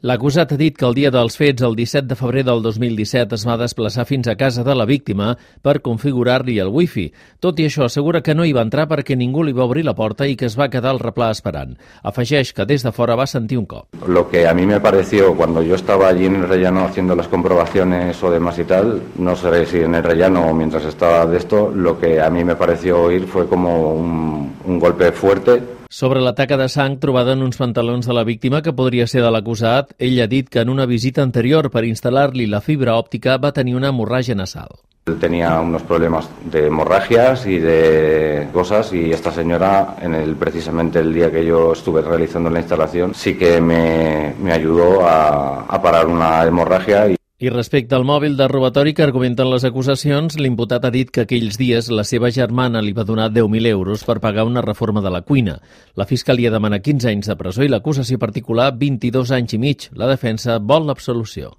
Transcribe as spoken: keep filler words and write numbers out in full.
L'acusat ha dit que el dia dels fets, el disset de febrer del dos mil disset, es va desplaçar fins a casa de la víctima per configurar-li el wifi. Tot i això, assegura que no hi va entrar perquè ningú li va obrir la porta i que es va quedar al replà esperant. Afegeix que des de fora va sentir un cop. Lo que a mí me pareció cuando yo estaba allí en el rellano haciendo las comprobaciones o demás y tal, no sé si en el rellano o mientras estaba de esto, lo que a mí me pareció oír fue como un, un golpe fuerte. Sobre la taca de sang trobada en uns pantalons de la víctima, que podria ser de l'acusat, ell ha dit que en una visita anterior per instal·lar-li la fibra òptica va tenir una hemorràgia nasal. Él tenía unos problemas de hemorragias y de cosas y esta señora, en el, precisamente el día que yo estuve realizando la instalación, sí que me, me ayudó a, a parar una hemorragia. Y I respecte al mòbil de robatori que argumenten les acusacions, l'imputat ha dit que aquells dies la seva germana li va donar deu mil euros per pagar una reforma de la cuina. La Fiscalia demana quinze anys de presó i l'acusació particular vint-i-dos anys i mig. La defensa vol l'absolució.